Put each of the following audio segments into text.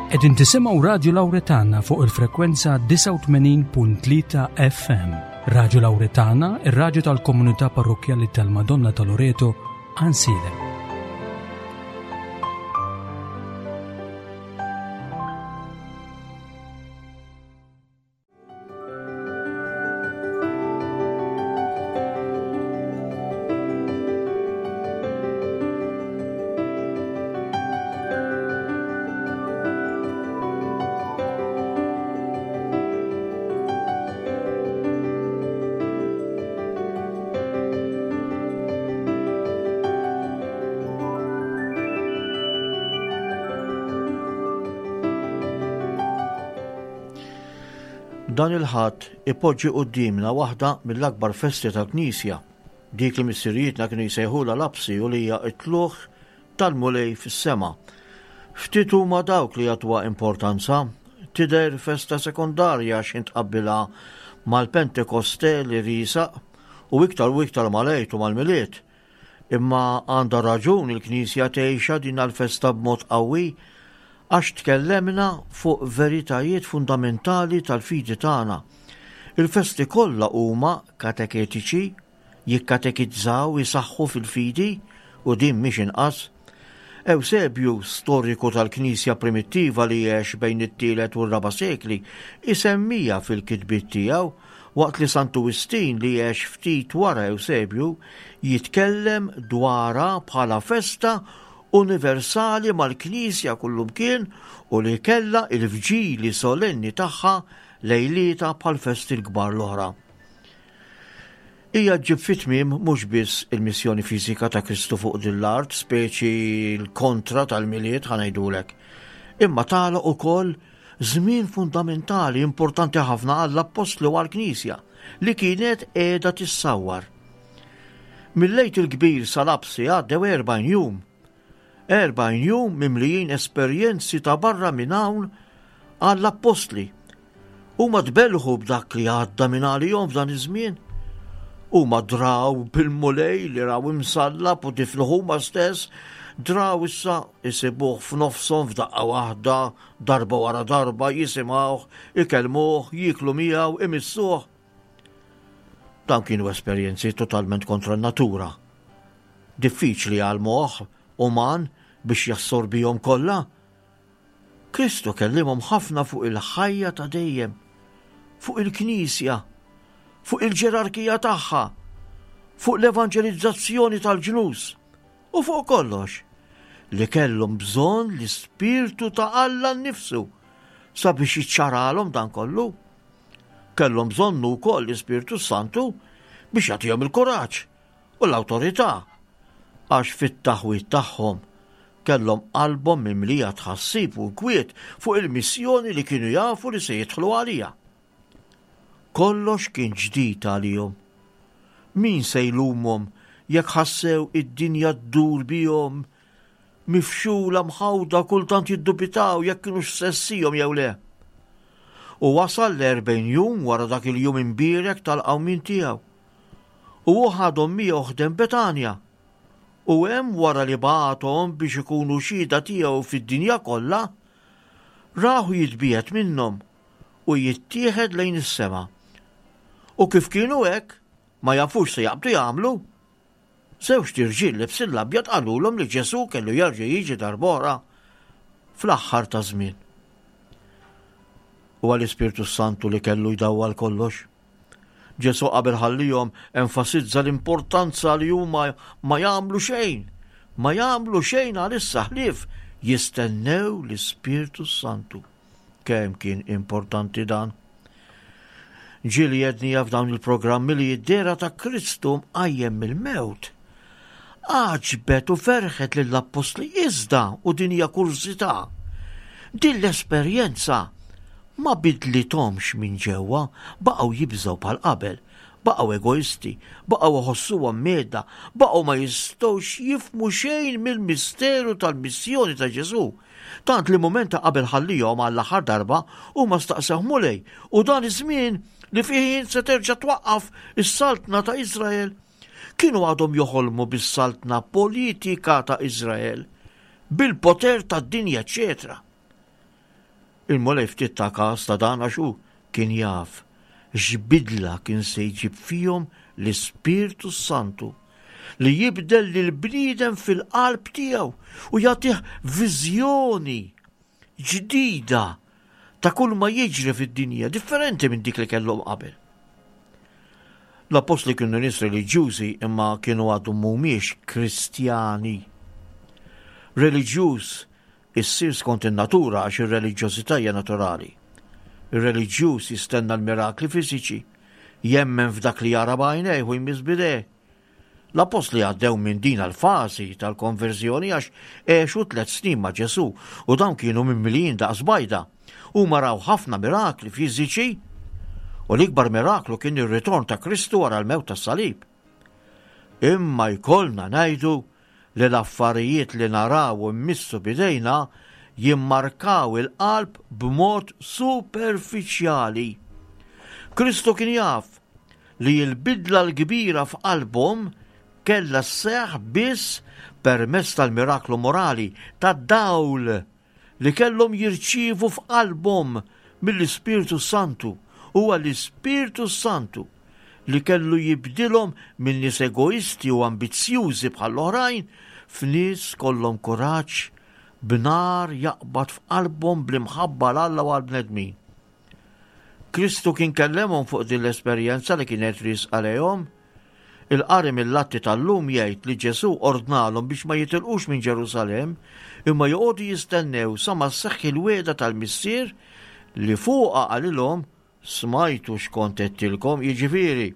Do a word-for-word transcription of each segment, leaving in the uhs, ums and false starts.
Qegħdin tisimgħu Radju Lawretana fuq il-frekwenza disgħa u tmenin punt tlieta F M. Radju Lawretana, ir-radju tal-Komunità Parrokkjali tal-Madonna ta' Loreto, Għajnsielem. Dan il-Ħadd ipoġġi quddiemna waħda mill-akbar festi tal-Knisja, dik li missirijietna kienu jsejħulha lapsi u li hija t-tlugħ tal-Mulej fis-sema. Ftit huma dawk li jagħtuha importanza, tidher festa sekondarja x'ħin tqabbilha mal-Pentekoste li riesaq u iktar u iktar mal-Għid u mal-Milied. Imma għandha raġun il-Knisja tgħixha din l-festa b'mod qawwi, għax tkellimna fuq veritajiet fundamentali tal-fidi tagħna. Il-festi kollha huma kateketiċi, jikkatekizzaw, jisaħħu fil-fidi, u din mhix inqas. Eusebju, storiku tal-Knisja primittiva li għex bejn it-tielet u r-raba' sekli, isemmija fil-kitbiet tiegħu, waqt li Santu Wistin, li għex ftit wara Eusebju, jitkellem dwarha bħala festa universali mal-Knisja kullumkien u li kella il-vġili solenni tagħha lejlieta bħal festi l-kbar l-oħra. Hija ġġib fit-tmiem mhux biss il-missjoni fiżika ta' Kristu fuq din l-art, speċi l-kontra tal-Milied, ħa ngħidulek, imma tagħlaq ukoll żmien fundamentali importanti ħafna għall-appostli u għall-Knisja li kienet qiegħda tissawwar. Mill-Għid il-Kbir sal-Lapsi għaddew erbgħin jum. Erbgħin jum mimlijin esperjenzi ta' barra minn hawn għall-appostli. Huma tbellħu b'dak li għadda minn għalihom f'dan iż-żmien. Huma draw bil-Mulej li raw imsallab u difnuh huma stess, draw issa isibuh f'nofshom f'daqqa waħda, darba wara darba, jisimgħuh, ikellmuh, jieklu miegħu, imissuh. Dan kienu esperjenzi totalment kontra n-natura. Diffiċli għal moħħ uman biex jassorbihom kollha. Kristu kellimhom ħafna fuq il-ħajja ta' dejjem, fuq il-Knisja, fuq il-ġerarkija tagħha, fuq l-evanġelizzazzjoni tal-ġnus u fuq kollox li kellhom bżonn l-Ispirtu ta' Alla nnifsu sabiex jiċċaralhom dan kollu. Kellhom bżonnu wkoll l-Ispirtu Santu biex jagħtihom il-kuraġġ u l-awtorità, għax fit-taħwid tagħhom kellhom qalbhom mimlija tħassib u nkwiet fuq il-missjoni li kienu jafu li se jidħlu għalija. Kollox kien ġdid għalihom. Min se jlumhom jekk ħassew id-dinja ddur bihom, mifxula, mħawda, kultant jiddubitaw jekk kienu f'sensihom jew le? U wasal l-erbgħin jum wara dak il-jum imbierek tal-qawmien tiegħu. U hu ħadhom miegħu ħdejn Betanja. U hemm, wara li bagħathom biex ikunu xhieda tiegħu fid-dinja kollha, rahu jitbiegħed minnhom u jittieħed lejn is-sema. U kif kienu hekk, ma jafux se jaqbdu jagħmlu, żewġt irġiel libsin l-abjad qalulhom li Ġesu kellu jerġa' jiġi darb'oħra fl-aħħar ta' żmien. U għall-Ispirtu Santu li kellu jdawwal kollox. Ġesu qabel ħallihom enfasizza l-importanza li huma ma jagħmlu xejn, ma jagħmlu xejn għalissa ħlief jistennew l-Ispirtu Santu. Kemm kien importanti dan? Ġieli għedniha f'dawn il-programmi li d-dehra ta' Kristu mqajjem mill-mewt għaġbet u ferħet lill-appostli, iżda, u din hija kurżità, din l-esperjenza ma bidlithomx minn ġewwa, baqgħu jibżgħu bħal qabel, baqgħu egoisti, baqgħu iħossuhom mhedda, baqgħu ma jistgħux jifhmu xejn mill-misteru tal-missjoni ta' Ġesu. Tant li mument ta' qabel ħallihom għall-aħħar darba huma staqsew: "Mulej, u dan iż-żmien li fih se terġa' twaqqaf is-saltna ta' Iżrael?" Kienu għadhom joħolmu bis-saltna politika ta' Iżrael, bil-poter tad-dinja, eċetera. Il-Mulej ftit ta każ ta' dan għax hu kien jaf x'bidla kien se jġib fihom l-Ispirtu Santu li jibdel lill-bniedem fil-qalb tiegħu u jagħtih viżjoni ġdida ta' kull ma jiġri fid-dinja, differenti minn dik li kellhom qabel. L-appostli kienu nies reliġjużi imma kienu għadhom mhumiex Kristjani. Reliġjuż issir skont in-natura għax ir-reliġjożità hija naturali. Ir-reliġjuż jistenna l-mirakli fiżiċi, jemmen f'dak li jara b'għajnejh u jmiss b'idejh. L-appostli għaddew minn din l-fażi tal-konverżjoni għax għexu tliet snin ma' Ġesù u dawn kienu mimlijin daqs bajda. Huma raw ħafna mirakli fiżiċi u l-ikbar miraklu kien ir-ritorn ta' Kristu wara l-mewt tas-salib. Imma jkollna ngħidu li l-affarijiet li naraw u mmissu b'idejna jimmarkaw il-qalb b'mod superfiċjali. Kristu kien jaf li l-bidla l-kbira f'qalbhom kellha sseħħ biss permezz tal-miraklu morali, tad-dawl li kellhom jirċievu f'qalbhom mill-Ispirtu Santu. Huwa l-Ispirtu Santu li kellu jibdilhom minn nies egoisti u ambizzjużi bħall-oħrajn f'nies kollhom kuraġġ b'nar jaqbad f'qalbhom bl-imħabba 'l Alla u għall-bnedmin. Kristu kien kellemhom fuq din l-esperjenza li kienet riesqa lejhom. Il-qari mill-Atti tal-lum jgħid li Ġesù ordnalhom biex ma jitilqux minn Ġerusalemm imma joqogħdu jistennew sa ma sseħħ il-wegħda tal-Missier li fuqha qalilhom smajtu x'kont għedtilkom, jiġifieri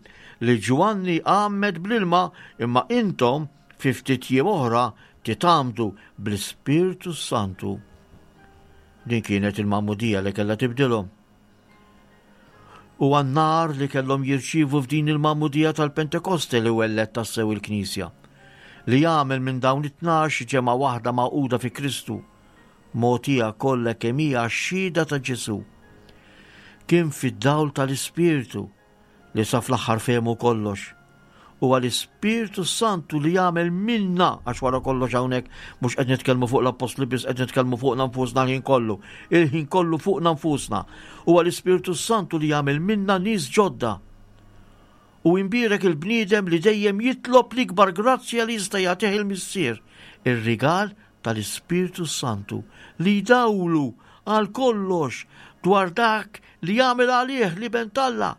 li Ġwanni għammed bl-ilma imma intom fi ftit jiem oħra titgħammdu bl-Ispirtu Santu. Din kienet il-magħmudija li kellha tibdilhom. U għan-nar li kellhom jirċievu f'din il-magħmudija tal-Pentekoste li welled tassew il-Knisja, li jagħmel minn dawn it-tnax ġemgħa waħda magħquda fi Kristu, mogħtija kollha kemm hija għax-xhieda ta' Ġesù. Kien fid-dawl tal-Ispirtu li sa fl-aħħar fehmu kollox. Huwa l-Ispirtu Santu li jagħmel minna, għax wara kollox hawnhekk mhux qed nitkellmu fuq l-appostli biss, qed nitkellmu fuqna nfusna l-ħin kollu, il-ħin kollu fuqna nfusna. Huwa l-Ispirtu Santu li jagħmel minna nies ġodda. U imbierek il-bniedem li dejjem jitlob l-ikbar grazzja li jista' jagħtih il-Missier, ir-rigal tal-Ispirtu Santu li jdawlu għal kollox dwar dak li jagħmel għalih l-Iben t'Alla.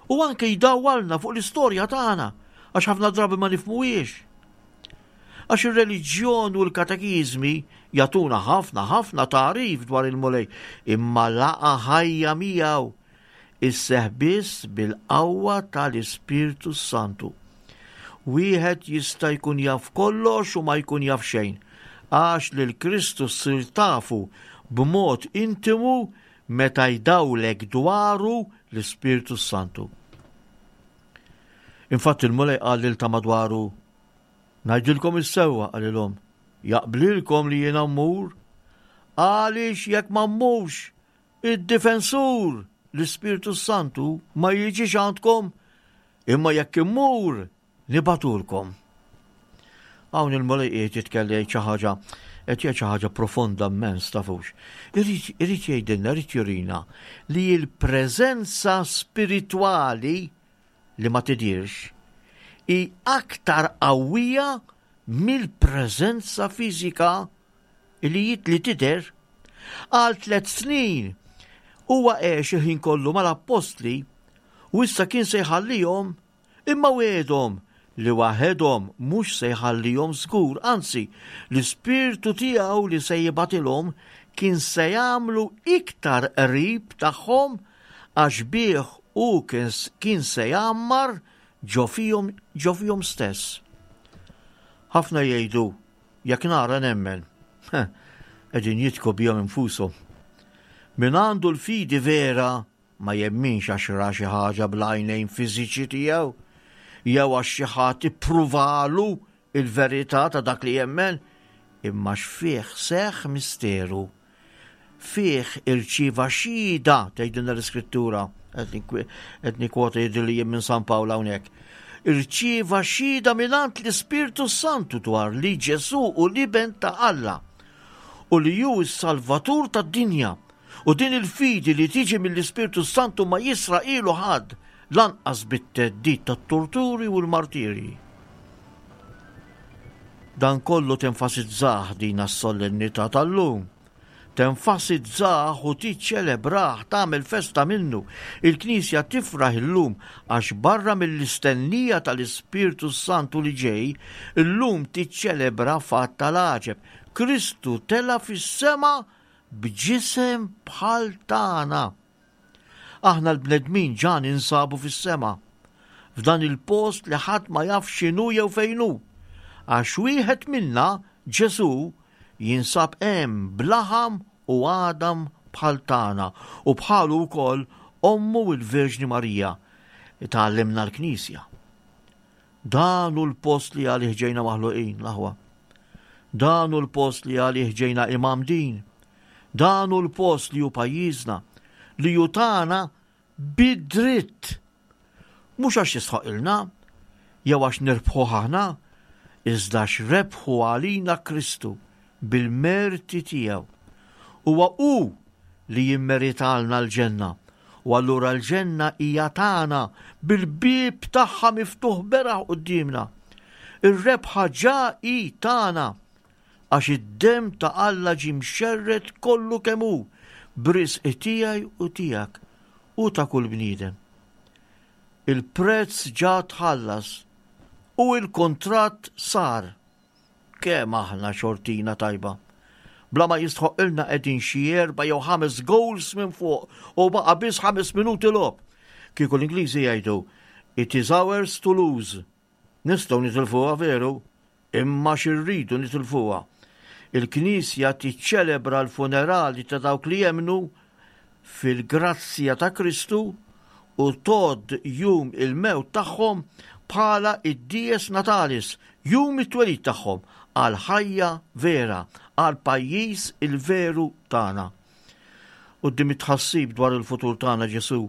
U anke jdawwalna fuq l-istorja tagħna, għax ħafna drabi ma nifhmuhiex. Għax ir-reliġjon u l-katekiżmi jagħtuna ħafna ħafna tagħrif dwar il-Mulej, imma laqa ħajja miegħu isseħ biss bil-qawwa tal-Ispirtu Santu. Wieħed jista' jkun jaf kollox u ma jkun jaf xejn, għax lil Kristu ssir tafu b'mod intimu meta jdawlek dwaru l-Ispirtu Santu. Infatti il-Mulej qal lil ta' madwaru, ngħidilkom is-sewwa, qalilhom, jaqblilkom li jiena mmur, għaliex jekk ma mmurx, id-difensur, l-Ispirtu Santu, ma jiġix għandkom, imma jekk immur, nibatulkom. Hawn il-Mulej qiegħed jitkellem jgħid xi ħaġa, qed jgħid xi ħaġa profonda immens, tafux. Irid, irid jgħidilna, irid jurina li l-preżenza spiritwali li ma tidirx hi aktar qawwija mill-preżenza fiżika li jit li tidher. Għal tliet snin huwa għex il-ħin kollu mal-appostli u issa kien se jħallihom, imma wegħedhom li waħedhom mhux se jħallihom żgur, anzi l-ispirtu tiegħu li se jibgħatilhom kien se jagħmlu iktar qrib tagħhom għax bih hu kien se jgħammar ġo fihom, ġo fihom stess. Ħafna jgħidu jekk nara nemmen. Qegħdin jitku bihom infushom. Min għandu l-fidi vera ma jemminx għax ra xi ħaġa bl-għajnejn fiżiċi tiegħu, jew għax xi ħadd ippruvalu il-verità ta' dak li jemmen, imma x'fih seħħ misteru. Fih irċieva xhieda, tgħidilna l-Iskrittura, qed nikkwota jidhirli li jien minn San Pawl hawnhekk. Irċieva xhieda mingħand l-Ispirtu Santu dwar li Ġesù hu l-Iben ta' Alla u li hu s-Salvatur tad-dinja U din il-fidi li tiġi mill-Ispirtu Santu ma jisraqhielu ħadd lanqas bit-theddid tat-torturi u l-martiri. Dan kollu tenfasizzah din as-solennità tal-lum. Tenfasizzah u tiċċelebrah, tagħmel festa minnu. Il-Knisja tifraħ illum għax barra mill-istennija tal-Ispirtu Santu li ġej, illum tiċċelebra fatt tal-għaġeb. Kristu tela' fis-sema b'ġisem bħal tagħna. Aħna l-bnedmin ġa ninsabu fis-sema, f'dan il-post li ħadd ma jaf x'inhu jew fejn hu. Għax wieħed minna, Ġesù, jinsab hemm b'laħam u għadam bħal tagħna u bħalu wkoll ommu il-Verġni Marija tgħallimna l-Knisja. Dan hu l-post li għalih ġejna maħluqin, l-aħwa. Dan hu l-post li għalih ġejna imgħammdin. Dan hu l-post li hu pajjiżna, li hu tagħna bid-dritt. Mhux għax jistħoqqilna, jew għax nirbħu aħna, iżda rebħu għalina Kristu bil-merti tiegħu. Huwa hu li jimmeritalna l-ġenna. U allura l-ġenna hija tagħna bil-bieb tagħha miftuħ beraħ quddiemna. Ir-rebħa ġa hi tagħna għax id-demm ta' Alla ġie mxerred kollu kemm hu b'risq tiegħi u tiegħek u ta' kull bniedem. Il-prezz ġa tħallas u il-kontratt sar. Kemm aħna xortina tajba. Bla ma jistħoqqilna qegħdin xi erba' jew ħames goals minn fuq u baqa' biss ħames minuti logħob. Kieku l-Ingliżi jgħidu it is ours to lose. Nistgħu nitilfuha veru, imma x'irridu nitilfuha. Il-Knisja tiċċelebra l-funerali ta' dawk li jemnu fil-grazzja ta' Kristu u tgħodd jum il-mewt tagħhom bħala id-dies natalis, jum it-twelid tagħhom għal ħajja vera, għal pajjiż il-veru tagħna. Quddiem it-tħassib dwar il-futur tagħna Ġesu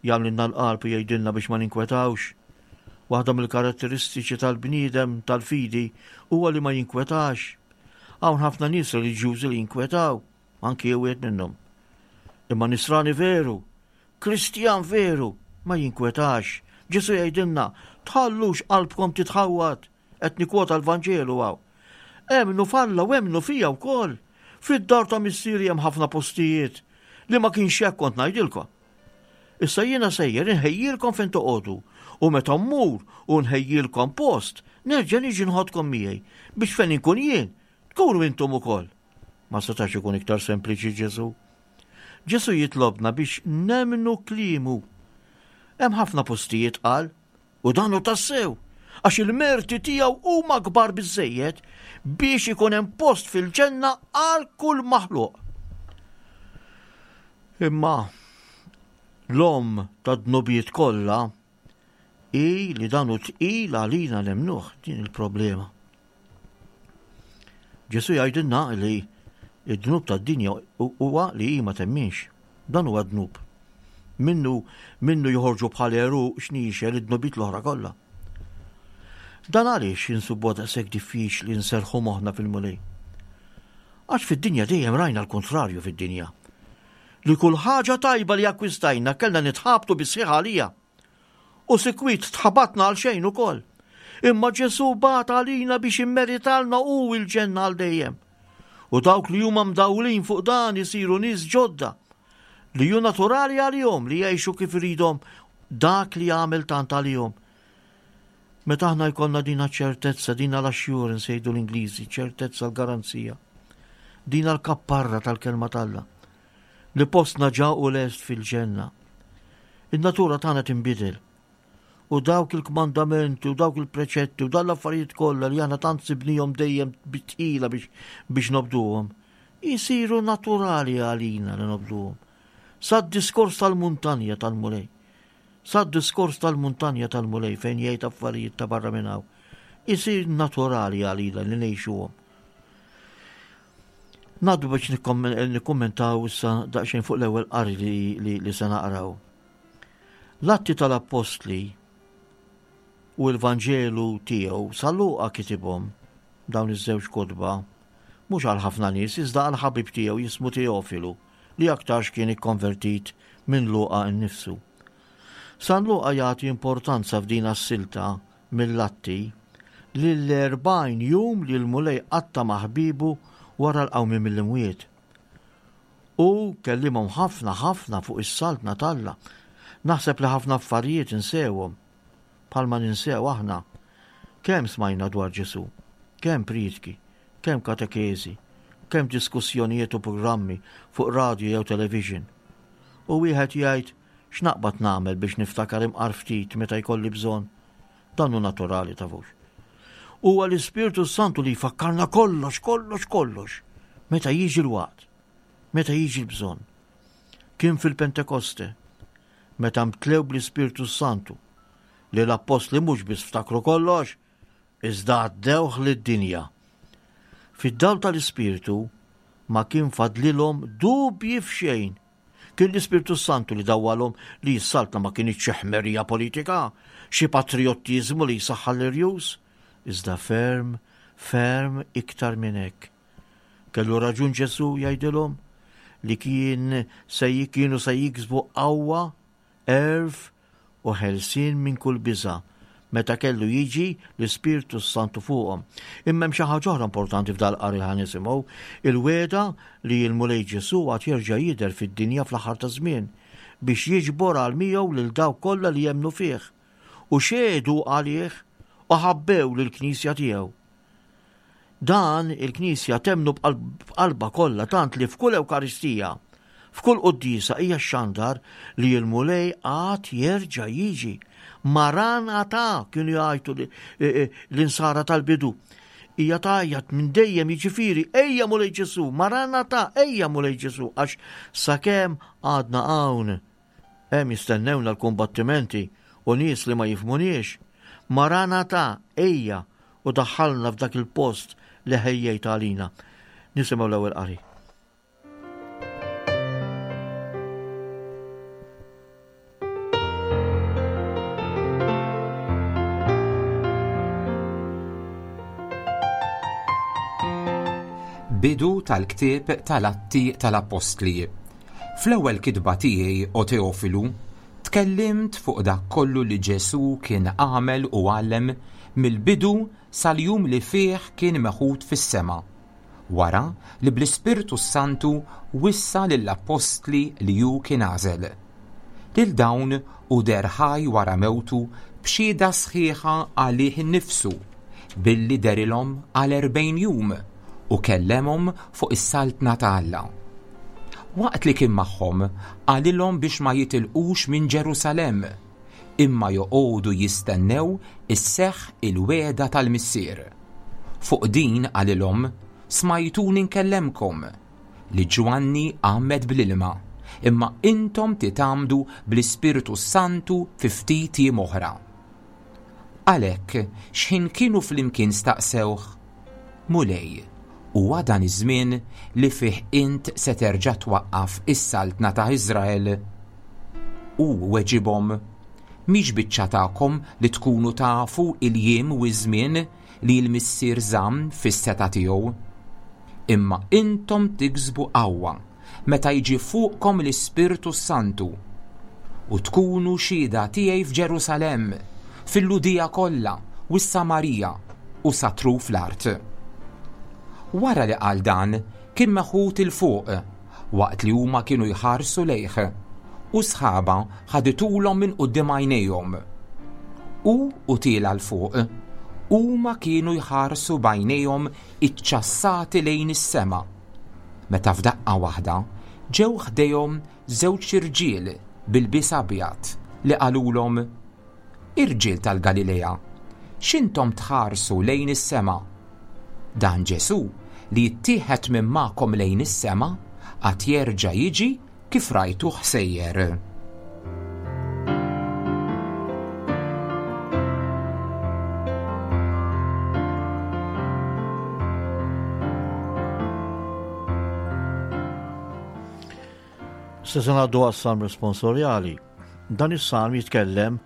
jagħmlilna l-qalb u jgħidilna biex ma ninkwetawx. Waħda mill-karatteristiċi tal-bniedem tal-fidi huwa li ma jinkwetax. Hawn ħafna nies reliġjużi li jinkwetaw, anki jien wieħed minnhom. Imma nisrani veru, Kristjan veru, ma jinkwetax. Ġesu jgħidilna, tħallux qalbkom titħawwad, qed nikwota l-Vanġelu hawn. Emmnu f'Alla u emmnu fija wkoll. Fid-dar ta' missieri hemm ħafna postijiet li ma kienx hekk kont ngħidilkom. Issa jiena sejjer inħejjilkom fejn toqogħdu u meta mmur u nħejjilkom post, nerġa' niġi nħodkom miegħi biex fejn inkun jien tkunu intom ukoll. Ma setax ikun iktar sempliċi Ġesu. Ġesu jitlobna biex nemmnu kliemu. Hemm ħafna postijiet qal u dan hu tassew għax il-merti tiegħu huma kbar biżejjed biex ikun hemm post fil-ġenna għal kull maħluq. Imma l-omm tad-dnubiet kollha hi li dan hu tqil għalina nemmnuh din il-problema. Ġesu jgħidilna li id-dnub tad-dinja huwa li hi ma temminx. Dan huwa dnub. Minnu minnu joħorġu bħal għeruq xniexel id-dnubiet l-oħra kollha. Dan għaliex insibu daqshekk diffiċli nserrħu moħħna fil-Mulej. Għax fid-dinja dejjem rajna l-kontrarju fid-dinja. Li kull ħaġa tajba li akkwistajna kellna nitħabtu bis-sħiħ għalija. U sikwit tħabatna għal xejn ukoll. Imma Ġesu bata għalina biex immeritalna hu il-ġenna għal dejjem. U dawk li huma mdawlin fuq dan isiru nies ġodda li hu naturali għalihom li jgħixu kif iridhom dak li jagħmel tant għalihom. Meta aħna jkollna dina ċertezza, dina l-assurance jgħidu l-Ingliżi, ċertezza l-garanzija, dina l-kapparra tal-kelma t'Alla, li postna ġa hu lest fil-ġenna. In-natura tagħna tinbidel. U dawk il-kmandamenti u dawk il-preċetti u dan l-affarijiet kollha li aħna tant sibnihom dejjem bitqila biex biex nobduhom, jisiru naturali għalina li nobduhom. Sa diskors tal-muntanja tal-Mulej. Sa diskors tal-muntanja tal-Mulej fejn jgħid affarijiet ta' barra minn hawn. Isir naturali għalina li ngħixuhom. Ngħaddu biex nikkommentaw issa daqsxejn fuq l-ewwel qari li, li, li se naqraw. L-Atti tal-Appostli u l-Vanġelu tiegħu San Luqa kitibhom dawn iż-żewġ kotba mhux għal ħafna nies iżda għal ħabib tiegħu jismu Teofilu li aktarx kien ikkonvertit minn Luqa nnifsu. San Luqa jagħti importanza f'din as-silta mill-Atti lill-erbgħin jum li l-Mulej qatta' ma' ħbiebu wara l-qawmien mill-imwiet. U kellimhom ħafna ħafna fuq is-saltna t'Alla. Naħseb li ħafna affarijiet insewhom, bħalma ninsew aħna. Kemm smajna dwar Ġesù, kemm prietki, kemm katekeżi, kemm diskussjonijiet u programmi fuq radio jew television. U wieħed jgħid, x'naqbad nagħmel biex niftakar imqar ftit meta jkolli bżonn? Dan hu naturali tafux. Huwa l-Ispirtu Santu li jfakkarna kollox, kollox, kollox, meta jiġi l-waqt, meta jiġi l-bżonn. Kien fil-Pentekoste, meta mtlew bl-Ispirtu Santu, li l-appostli mhux biss ftakru kollox, iżda għaddewh lid-dinja. Fid-dawl tal-Ispirtu ma kien fadlilhom dubji f'xejn. Kien l-Ispirtu Santu li dawwalhom li s-saltna ma kinitx xi ħmerija politika, xi patriottiżmu li jsaħħal l-irjus, iżda ferm, ferm iktar minn hekk. Kellu raġun Ġesù jgħidilhom li kien se kienu se jiksbu qawwa, għerf u ħelsien minn kull biża' meta kellu jiġi l-Ispirtu Santu fuqhom. Imma hemm xi ħaġa oħra importanti f'dal-qari ħa nisimgħu, il-wegħda li l-Mulej Ġesù għad jerġa' jidher fid-dinja fl-aħħar ta' żmien biex jiġbor għal miegħu lil dawk kollha li jemmnu fih u xehdu għalih u ħabbew lill-Knisja tiegħu. Dan il-Knisja temmnu b'qalbha kollha tant li f'kull Ewkaristija, f'kull quddiesa hija xandar li l-Mulej għad jerġa' jiġi. Maranatha kienu jgħajtu l-insara tal-bidu. Hija tgħajjat minn dejjem, jiġifieri ejja Mulej Ġesù, Maranatha, ejja Mulej Ġesù, għax sakemm għadna hawn hemm jistennewna l-kumbattimenti u nies li ma jifhmuniex. Maranatha, ejja u daħħalna f'dak il-post li ħejjejt għalina. Nisimgħu l-ewwel qari. Bidu tal-ktieb tal-Atti tal-Appostli. Fl-ewwel kitba tiegħi, o Teofilu, tkellimt fuq dak kollu li Ġesù kien għamel u għallem mill-bidu sal-jum li fih kien meħud fis-sema, wara li bl-Ispirtu Santu wissa lill-appostli li hu kien għażel. Lil dawn hu deher ħaj wara mewtu b'xhieda sħiħa għalih innifsu, billi derilhom għal erbgħin jum u kellemhom fuq is-saltna ta' Alla. Waqt li kien magħhom, qalilhom biex ma jitilqux minn Ġerusalemm, imma joqogħdu jistennew isseħħ il-wegħda tal-Missier. Fuq din qalilhom, smajtuni nkellemkom li Ġwanni għammed bl-ilma, imma intom titgħammdu bl-Ispirtu Santu fi ftit jiem oħra. Għalhekk, x'ħin kienu flimkien staqsewh, Mulej, huwa dan iż-żmien li fih int se terġa' twaqqaf is-saltna ta' Iżrael? U weġibhom, mhix biċċa tagħkom li tkunu tafu il-jiem u ż-żmien li l-Missier żamm fis-seta' tiegħu. Imma intom tiksbu qawwa meta jiġi fuqkom l-Ispirtu Santu u tkunu xhieda tiegħi f'Ġerusalemm, fil-Lhudija kollha u s-Samarija u sa truf l-art. Wara li qal dan, kien meħud 'il fuq waqt li huma kienu jħarsu lejh, u sħaba ħaditulhom minn quddiem għajnejhom. U u tiela 'l fuq, huma kienu jħarsu b'għajnejhom iċċassati lejn is-sema. Meta f'daqqa waħda ġew ħdejhom żewġ irġiel bil-bies abjad li qalulhom, Irġiel tal-Galilea, x'intom tħarsu lejn is-sema? Dan Ġesù li jittieħed minn magħkom lejn is-sema għad jerġa' jiġi kif rajtuh sejjer. Se se ngħaddu għas-salm responsorjali. Dan is-salm jitkellem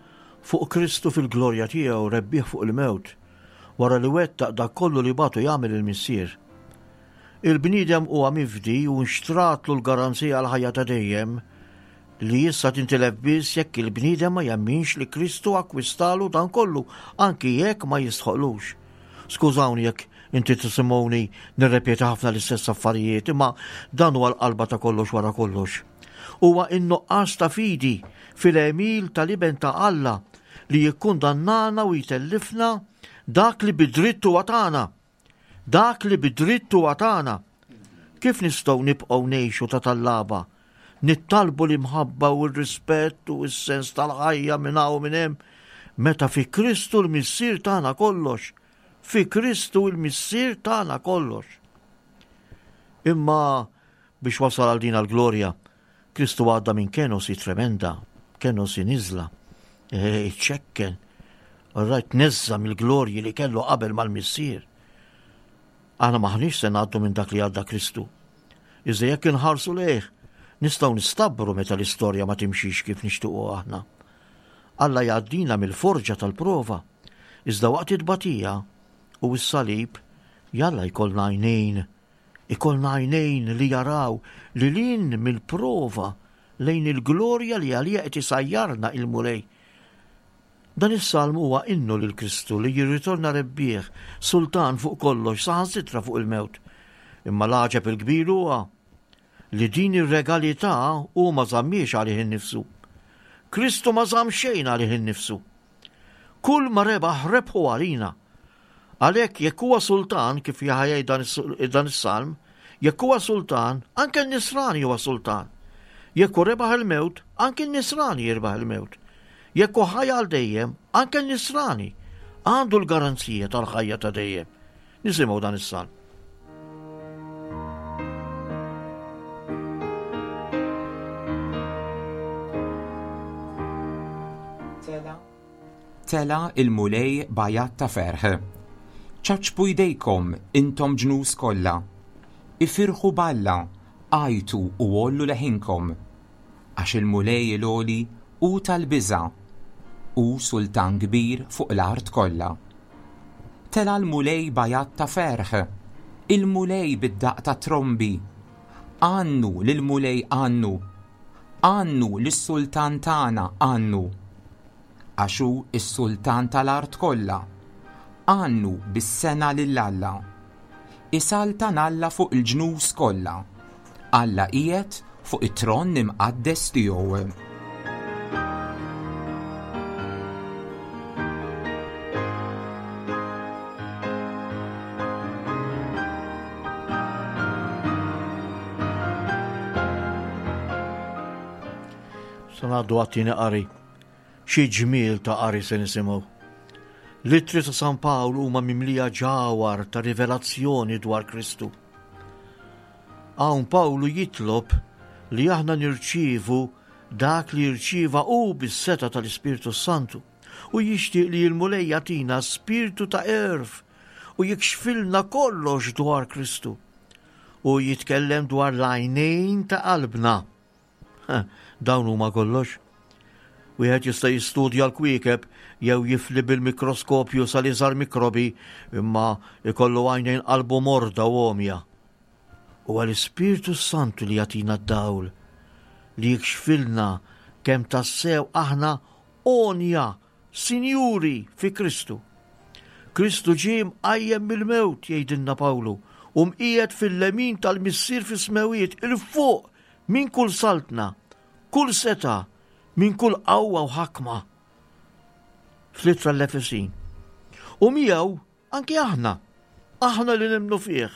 fuq Kristu fil-glorja tiegħu rebbieħ fuq il-mewt, wara li wettaq dak kollu li bagħtu jagħmel il-Missier. Il-bniedem huwa mifdi u nxtratlu l-garanzija għal ħajja ta' dejjem li issa tintilef biss jekk il-bniedem ma jemminx li Kristu akkwistalu dan kollu, anki jekk ma jistħoqlux. Skużawni jekk inti tisimgħuni nirrepeti ħafna l-istess affarijiet, imma dan huwa l-qalba ta' kollox wara kollox. Huwa in-nuqqas ta' fidi fil-għemil tal-Iben ta' Alla li jikkundannana u jtellifna dak li bidritt huwa tagħna. Dak li bidritt huwa tagħna. Kif nistgħu nibqgħu ngħixu ta' tallaba? Nittalbu l-imħabba u r-rispett u s-sens tal-ħajja minn hawn minn hemm, meta fi Kristu l-Missier tagħna kollox. Fi Kristu l-Missier tagħna kollox. Imma biex wasal għal din għall-glorja, Kristu għadda minn kenosi tremenda, kenosi niżla, iċċekken, rajt neżża mill-glorji li kellu qabel mal-Missier. Aħna maħniex se ngħaddu minn dak li għadda Kristu. Iżda jekk inħarsu lejh, nistgħu nistabru meta l-istorja ma timxix kif nixtiequ aħna. Alla jgħaddina mill-forġa tal-prova, iżda waqt it-tbatija u s-salib jalla jkollna għajnejn, ikollna għajnejn li jaraw li lin mill-prova lejn il-glorja li għalija qed isajjarna il-Mulej. Dan is-salm huwa innu lil Kristu li jirritorna rebbieħ, sultan fuq kollox, saħansitra fuq il-mewt. Imma l-għaġeb il-kbir huwa li din ir-regalità hu ma żammiex għalih innifsu. Kristu ma żamm xejn għalih innifsu. Kull ma rebaħ rebħu għalina. Għalhekk jekk huwa sultan, kif jgħid dan is-salm, jekk huwa sultan, anke n-nisrani huwa sultan. Jekk hu rebaħ il-mewt, anke n-nisrani jirbaħ il-mewt. Jekk hu ħaj għal dejjem, anke n-nisrani għandu l-garanzija tal-ħajja ta' dejjem. Nisimgħu dan is-salm. Tela il-Mulej b'għajat ta' ferħ. Ċaċpu jdejkom intom ġnus kollha. Ifirħu b'Alla, għajtu u għollu leħinkom. Għax il-Mulej il-għoli hu tal-biża', hu sultan kbir fuq l-art kollha. Tela l-Mulej b'għajat ta' ferħ, il-Mulej bid-daqq ta' trombi. Għannu lill-Mulej għannu, għannu lis-sultan tagħna għannu. Għax hu s-sultan tal-art kollha, għannu bis-sena lil Alla. Isaltan Alla fuq il-ġnus kollha. Alla qiegħed fuq it-tron imqaddes tiegħu. Se ngħaddu għat-tieni qari. Xi ġmiel ta' qari se nisimgħu. L-ittri ta' San Pawl huma mimlija ġawhar ta' rivelazzjoni dwar Kristu. Hawn Pawlu jitlob li aħna nirċievu dak li rċieva hu bis-seta tal-Ispirtu Santu u jixtieq li l-Mulej jagħtina spirtu ta' għerf u jikxfilna kollox dwar Kristu. U jitkellem dwar l-għajnejn ta' qalbna. Dawn huma kollox. Wieħed jista' jistudja l-kwiekeb jew jifli bil-mikroskopju sal-iżgħar mikrobi, imma ikollu għajnejn qalbu morda u għomja. Huwa l-Ispirtu Santu li jagħtina d-dawl, li jikxfilna kemm tassew aħna għonja, sinjuri fi Kristu. Kristu ġie mqajjem mill-mewt, jgħidilna Pawlu, u mqiegħed fil-lemin tal-Missier fis-smewiet, il fuq minn kull saltna, kull seta', minn kull qawwa u ħakma. Fl-ittra l-Efesin. U miegħu anki aħna, aħna li nemmnu fih.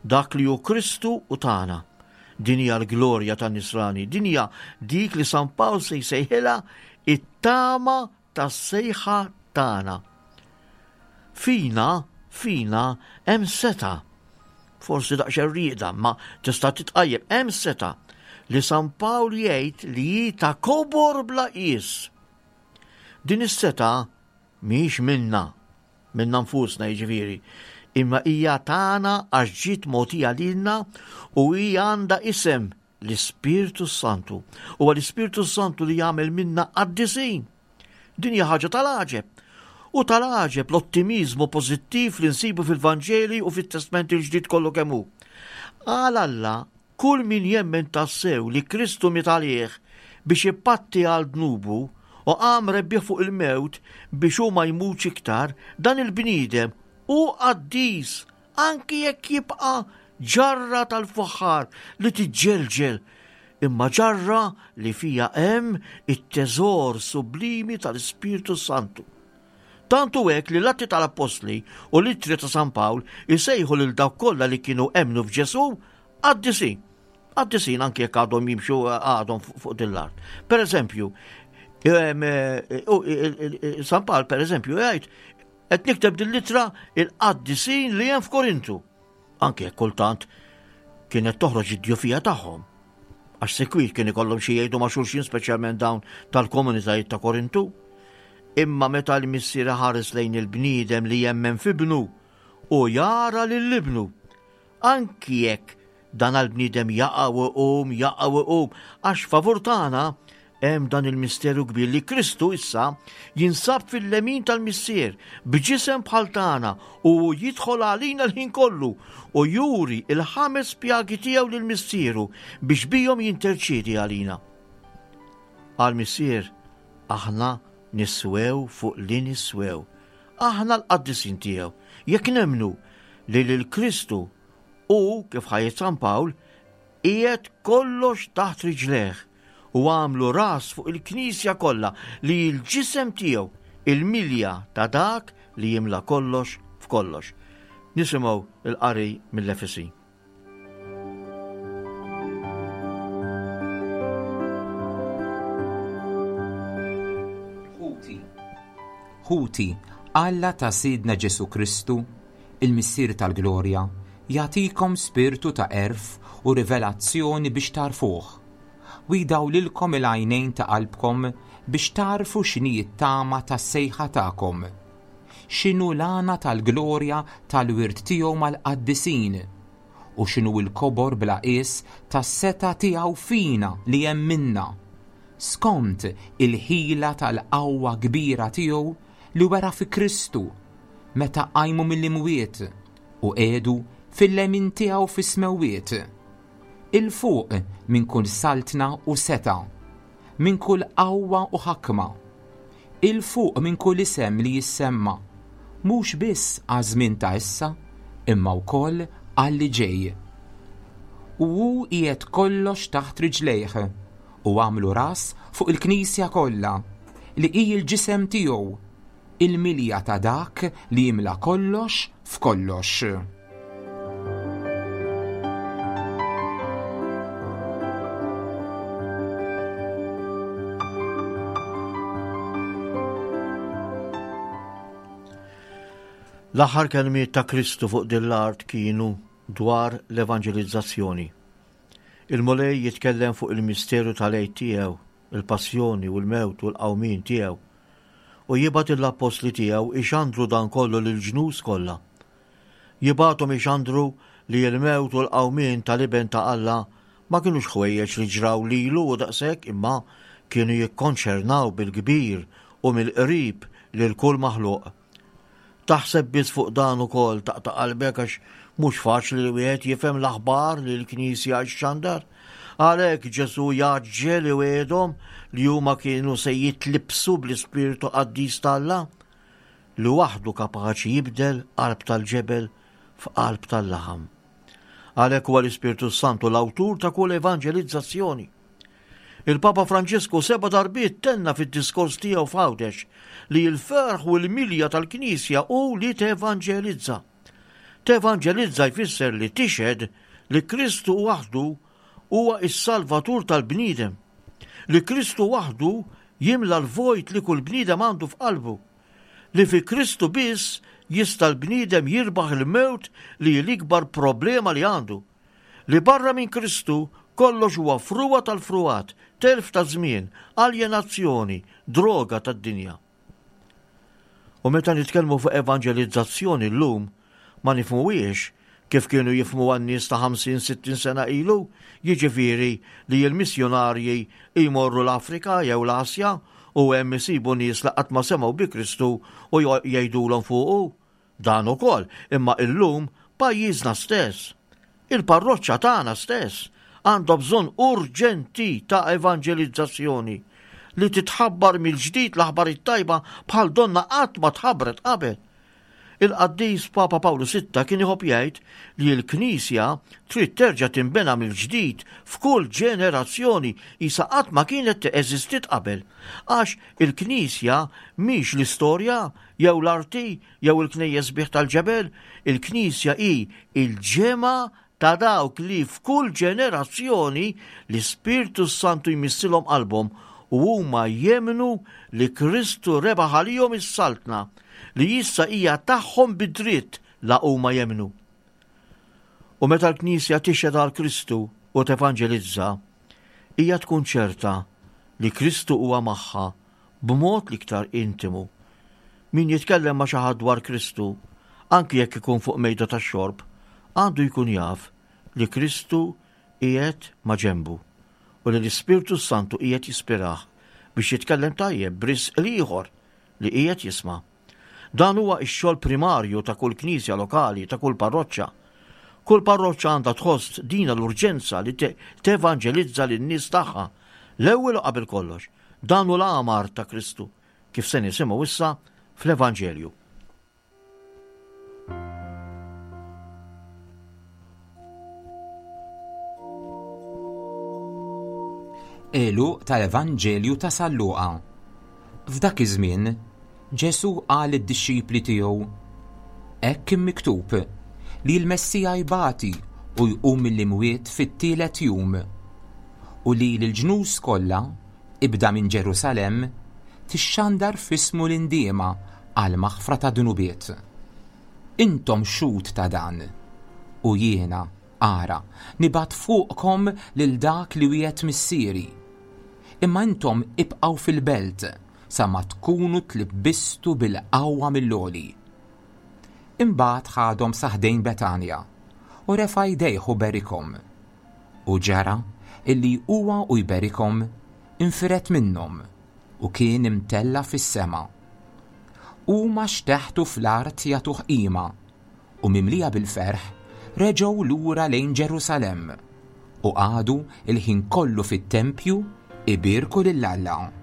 Dak li hu Kristu u tagħna. Din hija l-glorja tan-nisrani, din hija dik li San Pawl se jsejħilha it-tama tas-sejħa tagħna. Fina, fina hemm seta'. Forsi daqsxejn rieda, ma tista' titqajjem, hemm seta' li San Pawl jgħid li hi ta' kobor bla qies. Din is-seta' mhijiex minna, minna nfusna jiġifieri, imma hija tagħna għax ġiet mogħtija lilna u hi għandha isem l-Ispirtu Santu. Huwa l-Ispirtu Santu li jagħmel minna qaddisin. Din hija ħaġa tal-għaġeb. U tal-għaġeb l-ottimiżmu pożittiv li nsibu fil-Vanġeli u fit-Testment il-Ġdid kollu kemm hu. Għal Alla, kull min jemmen tassew li Kristu miet għalih biex ipatti għal dnubu u qam rebbieħ fuq il-mewt biex hu ma jmutx iktar, dan il-bniedem hu qaddis anki jekk jibqa' ġarra tal-fuħħar li tiġġelġel, imma ġarra li fija hemm it-teżor sublimi tal-Ispirtu Santu. Tantu hekk li l-Atti tal-Appostli u l-Ittri ta' San Pawl isejħu lil dawk kollha li kienu emmnu f'Ġesù qaddisin. Qaddisin anke jekk għadhom jimxu għadhom fuq din l-art. Per eżempju, San Pawl per eżempju jgħid qed nikteb din l-ittra il-qaddisin li hemm f'Korintu. Anke jekk kultant kienet toħroġ id-djufija tagħhom. Għax sekwit kien ikollhom xi jgħidu ma' xulxin, speċjalment dawn tal-komunitajiet ta' Korintu. Imma meta l-Missier ħares lejn il-bniedem li jemmen f'ibnu u jara lil ibnu, anki jekk dan għall-bniedem jaqa' u jqum, jaqa' u jqum, għax favur tagħna hemm dan il-misteru kbir li Kristu issa jinsab fil-lemin tal-Missier b'ġisem bħal tagħna u jidħol għalina l-ħin kollu u juri il-ħames pjagi tiegħu lil Missieru biex bihom jinterċiedi għalina. Għal-Missier aħna niswew fuq li niswew. Aħna l-qaddisin tiegħu. Jekk nemmnu li lil Kristu u kif ħajjet San Pawl qiegħed kollox taħt riġlejh u għamlu ras fuq il-Knisja kollha li l-ġisem tiegħu, il-milja ta' dak li jimla kollox f'kollox. Nisimgħu il-qari mill-Efesin. Ħuti, Alla ta' Sidna Ġesù Kristu, il-Missier tal-Glorja, jagħtikom spirtu ta' għerf u rivelazzjoni biex tarfuh, u jdawlilkom il-għajnejn ta' qalbkom biex tarfu x'inhi t-tama tas-sejħa tagħkom, x'inhu l-għana tal-glorja tal-wirt tiegħu mal-qaddisin, u x'inhu l-kobor bla qies tas-setgħa tiegħu fina li hemm minna, skont il-ħila tal-qawwa kbira tiegħu li wera fi Kristu meta qajmu mill-imwiet u qiegħdu fil-lemin tiegħu fis-smewwiet, 'il fuq minn kull saltna u setgħa, minn kull qawwa u ħakma, 'il fuq minn kull isem li jissemma, mhux biss għaż-żmien ta' issa, imma wkoll għal li ġej. U hu qiegħed kollox taħt riġlejh u għamlu ras fuq il-Knisja kollha li hi l-ġisem tiegħu, il-milja ta' dak li jimla kollox f'kollox. L-aħħar kelmiet ta' Kristu fuq din l-art kienu dwar l-evanġelizzazzjoni. Il-Mulej jitkellem fuq il-misteru tal-Għid tiegħu, il-passjoni u l-mewt u l-qawmien tiegħu, u jibgħat l-appostli tiegħu ixandru dan kollu lil-ġnus kollha. Jibgħathom ixandru li l-mewt u l-qawmien tal-Iben ta' Alla ma kinux ħwejjeġ li ġraw lilu u daqshekk, imma kienu jikkonċernaw bil-kbir u mill-qrib lil kull maħluq. Taħseb biss fuq dan ukoll taqta' qalbek għax mhux faċli li wieħed jifhem l-aħbar li l-Knisja xxandar. Għalhekk Ġesù jaġġel iwiegħedhom li huma kienu se jitlibsu bl-Ispirtu Qaddis t'Alla li waħdu kapaċi jibdel qalb tal-ġebel f'qalb tal-laħam. Għalhekk huwa l-Ispirtu Santu l-awtur ta' kull evanġelizzazzjoni. Il-Papa Franġisku seba' darbiet tenna fid-diskors tiegħu f'Għawdex li l-ferħ u l-milja tal-Knisja hu li tevanġelizza. Tevanġelizza jfisser li tixhed li Kristu waħdu huwa s-Salvatur tal-bniedem, li Kristu waħdu jimla l-vojt li kull bniedem għandu f'qalbu, li fi Kristu biss jista' l-bniedem jirbaħ il-mewt li hi l-ikbar problema li għandu, li barra minn Kristu kollox huwa frugħa tal-frugħat, telf ta' żmien, aljenazzjoni, droga tad-dinja. U meta nitkellmu fuq evanġelizzazzjoni llum, ma nifhmuhiex kif kienu jifhmu għan-nies ta' ħamsin sittin sena ilu, jiġifieri li l-missjonarji jmorru l-Afrika jew l-Asja u hemm isibu nies li qatt ma semgħu bi Kristu u jgħidulhom fuqu. Dan ukoll, imma illum pajjiżna stess, il-parroċċa tagħna stess, għandha bżonn urġenti ta' evanġelizzazzjoni li titħabbar mill-ġdid l-aħbar it-tajba bħal donna qatt ma tħabbret qabel. Il-qaddis Papa Pawlu Sitta kien iħobb jgħid li l-Knisja trid terġa' tinbena mill-ġdid f'kull ġenerazzjoni qisha qatt ma kienet eżistiet qabel. Għax il-Knisja mhix l-istorja jew l-arti jew il-knejjes sbieħ tal-ġebel, il-Knisja hi il-ġemgħa ta' dawk li f'kull ġenerazzjoni l-Ispirtu Santu jmissilhom qalbhom u huma jemmnu li Kristu rebaħ għalihom is-saltna li issa hija tagħhom bid-dritt la huma jemmnu. U meta l-Knisja tixhed għal Kristu u tevanġelizza, hija tkun ċerta li Kristu huwa magħha b'mod l-iktar intimu. Min jitkellem ma' xi ħadd dwar Kristu, anki jekk ikun fuq mejda tax-xorb, għandu jkun jaf li Kristu qiegħed ma' ġenbu u li l-Ispirtu Santu qiegħed jispirah biex jitkellem tajjeb b'risq l-ieħor li qiegħed jisma'. Dan huwa x-xogħol primarju ta' kull knisja lokali, ta' kull parroċċa. Kull parroċċa għandha tħoss dina l-urġenza li tevanġelizza lin-nies tagħha. L-ewwel u qabel kollox, dan hu l-amar ta' Kristu, kif se nisimgħu issa fl-Evanġelju. Għeluq tal-Evanġelju ta' San Luqa. F'dak iż-żmien, Ġesù qal lid-dixxipli tiegħu, Hekk kien miktub li l-Messija jbati u jqum mill-imwiet fit-tielet jum, u li l-ġnus kollha, ibda minn Ġerusalemm, tixxandar f'ismu l-indiema għal maħfra ta' dnubiet. Intom xhud ta' dan, u jiena, ara, nibgħat fuqkom lil dak li wiegħed missieri. Imma intom ibqgħu fil-belt sa ma tkunu tlibbistu bil-qawwa mill-għoli. Imbagħad ħadhom sa ħdejn Betanja u refa' jdejh u berikhom. U ġara illi huwa u jberikhom infired minnhom u kien imtella' fis-sema. Huma xteħtu fl-art jagħtuh qima u mimlija bil-ferħ reġgħu lura lejn Ġerusalemm u qagħdu l-ħin kollu fit-tempju ibierku lil Alla.